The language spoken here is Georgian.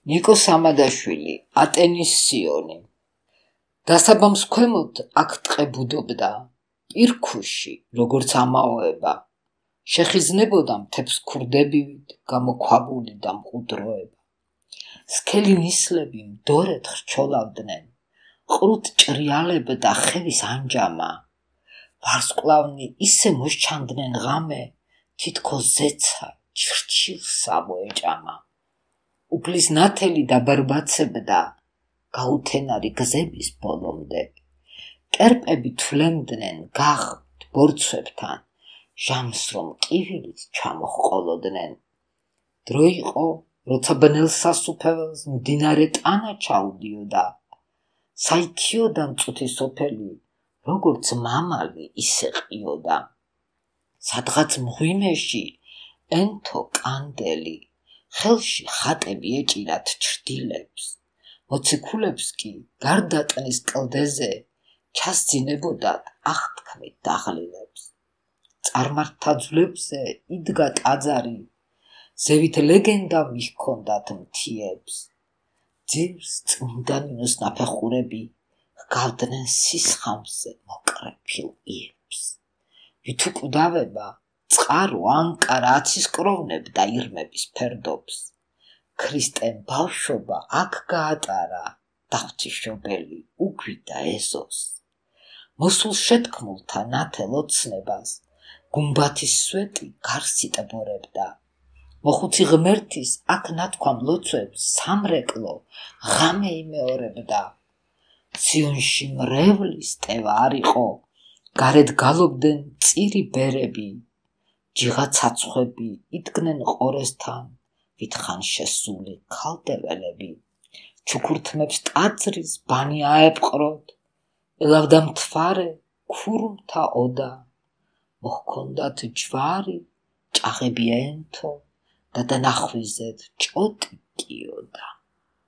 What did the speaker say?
ნიკო სამადაშვილი, ატენის სიონი. დასაბამს ქვემოთ აქ ტყე ბუდობდა, პირქუში, როგორც ამაოება. შეხიზნებოდა მთებს ქურდებივით, გამოქვაბული და მყუდროება. სქელი ნისლები მდორედ ხრჩოლავდნენ, ყრუთ ჭრიალებდა ხევის ანჯამა. ვარსკვლავნი ისე მოსჩანდნენ ღამე, თითქოს ზეცა ჩრჩილსა მოეჭამა. უფლის ნათელი დაბარბაცებდა, გაუთენარი გზების ბოლომდე. კერპები თვლემდნენ გახდ ბორცვებთან, ჟამს რომ კივილით ჩამოჰყოლოდნენ. დრო იყო, როცა ბნელ სასუფეველს მდინარე ტანა ჩაუდიოდა. საიქიოდა მწუთი სოფელი, როგორც მამალი ისე ყიოდა. სადღაც მღვიმეში ენთო კანდელი, ხელში ხატები ეჭირათ ჩრდილებს. მოციქულებს კი გარდა ტნის კლდეზე ჩასძინებოდათ აღთქმით დაღლილებს. წარმართთა ძვლებზე იდგა ტაძარი, ზევით ლეგენდა მიჰქონდათ მთიებს. ძირს წმინდა ნინოს ნაფეხურები ჰგავდნენ სისხამზე მოკრეფილ იებს. ვით უკვდავება წყარო ანკარა აცისკროვნებდა ირმების ფერდობს. ქრისტემ ბავშვობა აქ გაატარა, დაღვთიშობელი უგვიდა ეზოს. მოსულ შეთქმულთა ნათელ ოცნებას გუმბათის სვეტი გარს იტბორებდა. მოხუცი ღმერთის აქ ნათქვამ ლოცვებს სამრეკლო ღამე იმეორებდა. სიონში მრევლის ტევა არ იყო, გარეთ გალობდნენ წირი ბერები. ჯიღა ცაცხვები იდგნენ ყორესთან, ვითხან შესული ქალდეველები. ჩუქურთმებს ტაძრის ბანი აეპყროდ, ელავდა მთვარე ქურუმთა ოდა. მოჰქონდათ ჯვარი, ჭაღები ენთო და დანახვიზეთ ჭოტი კიოდა.